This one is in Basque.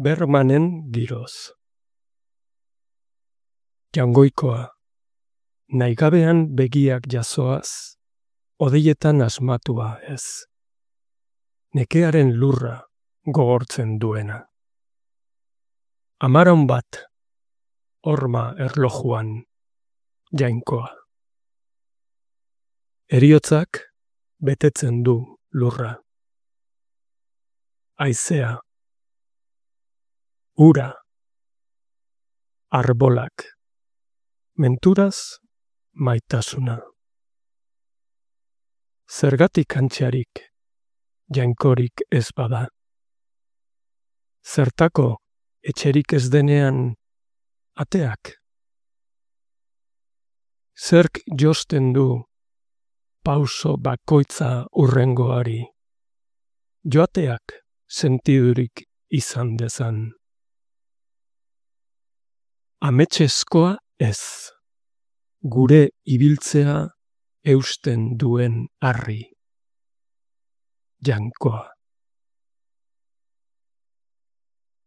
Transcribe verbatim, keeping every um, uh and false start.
Bermanen giroz. Jangoikoa, nahigabean begiak jasoaz, odeietan asmatua ez. Nekearen lurra gogortzen duena. Amaron bat, horma erlojuan, jainkoa. Heriotzak betetzen du lurra. Haizea, ura, arbolak, menturaz maitasuna. Zergatik antxarik, jainkorik ez bada. Zertako etxerik ez denean ateak. Zerk josten du pauso bakoitza urrengoari. Joateak sentidurik izan dezan. Ametsezkoa ez, gure ibiltzea eusten duen harri. Jainkoa.